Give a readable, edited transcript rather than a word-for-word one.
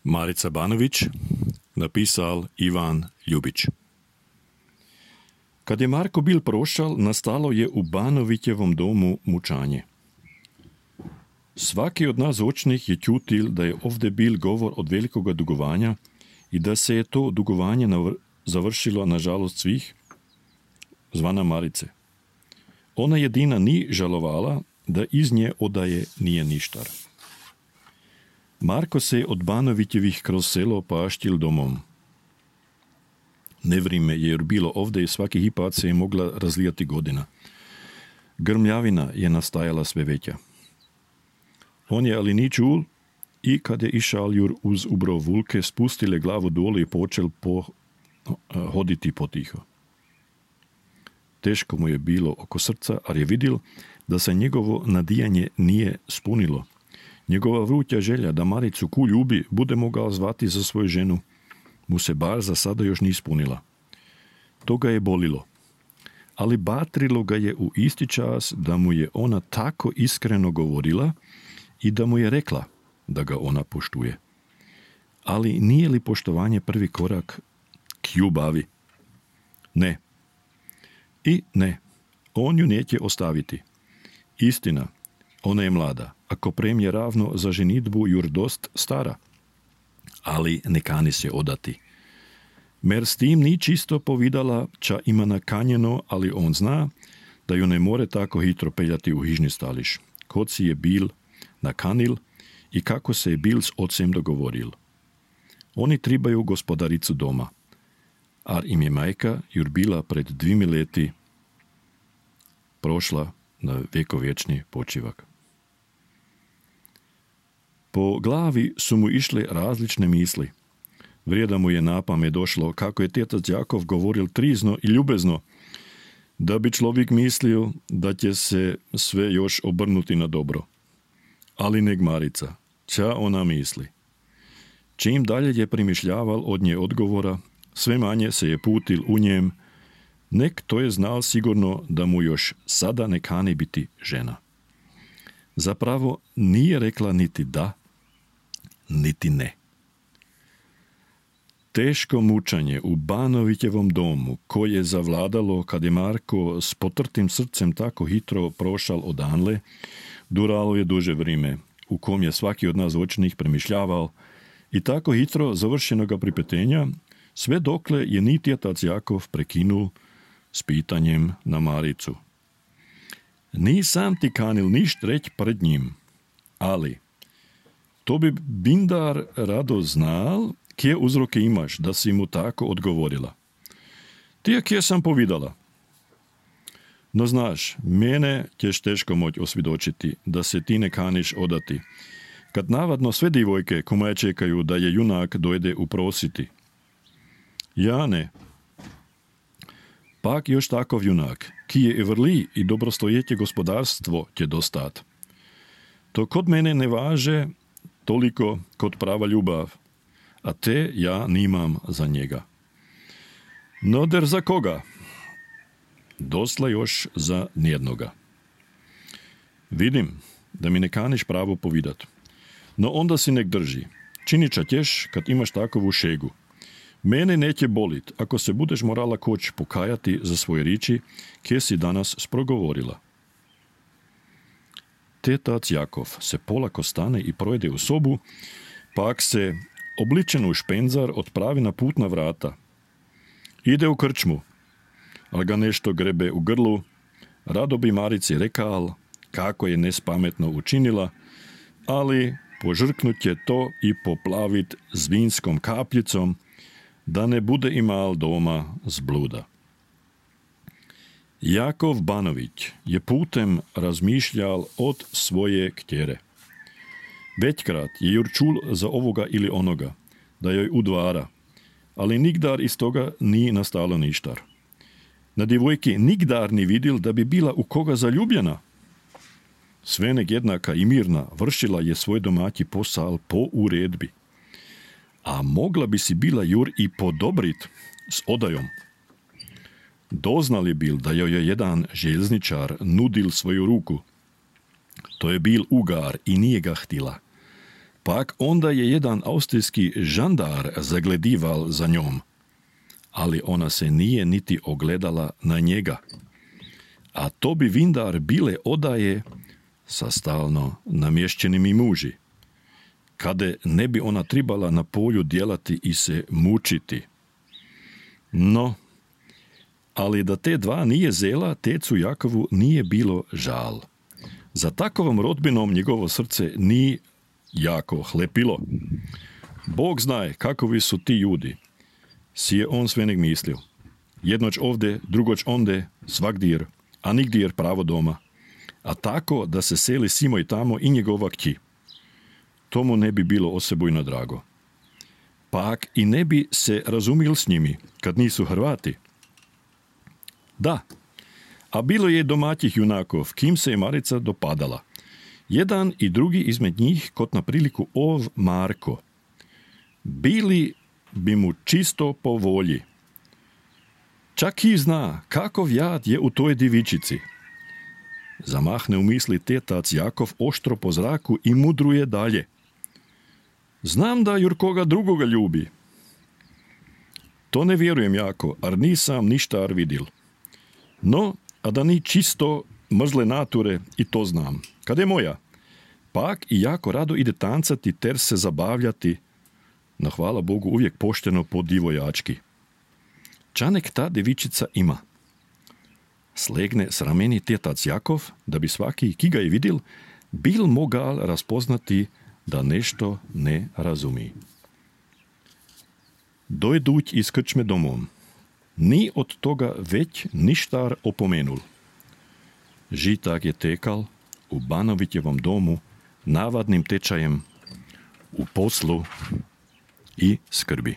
Marica Banović, napisal Ivan Ljubić. Kad je Marko bil prošal, nastalo je u Banovićevom domu mučanje. Svaki od nas očnih je čutil da je ovdje bil govor od velikoga dugovanja i da se je to dugovanje završilo na žalost svih, zvana Marice. Ona jedina ni žalovala da iz nje odaje nije ništar. Marko se je od Banovićevih kroz selo paštil domom. Nevrime jer bilo ovdje i svaki hipat se je mogla razlijati godina. Grmljavina je nastajala sve veća. On je ali ni čul i kad je išal jur uz ubro vulke, spustile glavu dole i počel hoditi potiho. Teško mu je bilo oko srca, ali je vidjel da se njegovo nadijanje nije spunilo. Njegova vruća želja da Maricu ku ljubi bude mogao zvati za svoju ženu, mu se bar za sada još ni ispunila. To ga je bolilo, ali batrilo ga je u isti čas da mu je ona tako iskreno govorila i da mu je rekla da ga ona poštuje. Ali nije li poštovanje prvi korak k ljubavi? Ne. I ne, on ju neće ostaviti. Istina, ona je mlada, ako premije ravno za ženitbu jur dost stara, ali ne kani se odati. Mer s tim ni čisto povidala, ča ima nakanjeno, ali on zna da ju ne more tako hitro peljati u hižni stališ, kod si je bil nakanil i kako se je bil s ocem dogovoril. Oni tribaju gospodaricu doma, ar im je majka jur bila pred 2 leti prošla na vjekovječni počivak. Po glavi su mu išle različne misli. Vrijeda mu je na pamet došlo kako je tetac Jakov govoril trizno i ljubezno, da bi človek mislio da će se sve još obrnuti na dobro. Ali neg Marica, ča ona misli? Čim dalje je primišljaval od nje odgovora, sve manje se je putil u njem, nek to je znal sigurno da mu još sada ne kani biti žena. Zapravo nije rekla niti da, niti ne. Teško mučanje u Banovićevom domu, koje je zavladalo kad je Marko s potrtim srcem tako hitro prošal odanle, duralo je duže vrime, u kom je svaki od nas očnih premišljaval i tako hitro završenoga pripetenja, sve dokle je ni tetac Jakov prekinul s pitanjem na Maricu. Nisam ti kanil ništ reć pred njim, ali to bi bindar rado znal, kje uzroke imaš da si mu tako odgovorila. Ti je kje sam povidala. No znaš, mene ćeš teško moć osvjedočiti da se ti ne kaniš odati, kad navadno sve divojke komaje čekaju da je junak dojde uprositi. Ja ne. Pak još takov junak, ki je i vrli i dobrostojetje gospodarstvo će dostat. To kod mene ne važe toliko kod prava ljubav, a te ja nimam za njega. No der za koga? Dosla još za nijednoga. Vidim da mi ne kaniš pravo povidat, no onda si nek drži. Činiča ćeš kad imaš takovu šegu. Mene neće bolit ako se budeš morala koć pokajati za svoje riči, kje si danas sprogovorila. Tetac Jakov se polako stane i projde u sobu, pak se obličen u špenzar odpravi na putna vrata. Ide u krčmu, ali ga nešto grebe u grlu, rado bi Marici rekal kako je nespametno učinila, ali požrknut je to i poplavit s vinskom kapljicom, da ne bude imal doma zbluda. Jakov Banović je putem razmišljal od svoje ktjere. Većkrat je jur čul za ovoga ili onoga, da joj udvara, ali nigdar iz toga ni nastalo ništar. Na divojki nigdar ni vidjel da bi bila u koga zaljubljena. Svenek jednaka i mirna vršila je svoj domaći posal po uredbi. A mogla bi si bila jur i podobrit s odajom. Doznali bil da joj je jedan željezničar nudil svoju ruku. To je bil ugar i nije ga htila. Pak onda je jedan austrijski žandar zagledival za njom, ali ona se nije niti ogledala na njega. A to bi vindar bile odaje sa stalno namješćenimi muži, kade ne bi ona tribala na polju djelati i se mučiti. No, ali da te dva nije zela, tecu Jakovu nije bilo žal. Za takovom rodbinom njegovo srce nije jako hlepilo. Bog znaje kakovi su ti ljudi, si je on svenek mislio. Jednoć ovde, drugoć onde, svakdir, a nigdjer pravo doma. A tako da se seli simo i tamo i njegova kći. Tomu ne bi bilo osebujno drago. Pak i ne bi se razumil s njimi, kad nisu Hrvati. Da, a bilo je domaćih junakov, kim se je Marica dopadala. Jedan i drugi izmed njih, kot na priliku ov Marko. Bili bi mu čisto po volji. Čak i zna kakov jad je u toj divičici. Zamahne u misli tetac Jakov oštro po zraku i mudruje dalje. Znam da Jurkoga drugoga ljubi. To ne vjerujem jako, ar nisam ništa ar vidil. No, a da ni čisto mrzle nature i to znam. Kad je moja? Pak i jako rado ide tancati ter se zabavljati, no hvala Bogu uvijek pošteno po divojački. Čanek ta devičica ima. Slegne s rameni tetac Jakov, da bi svaki, ki ga je vidil, bil mogal razpoznati, da nešto ne razumi. Dojduć iz krčme domom. Ni od toga već ništar opomenul. Žitak je tekal u Banovitjevom domu navadnim tečajem u poslu i skrbi.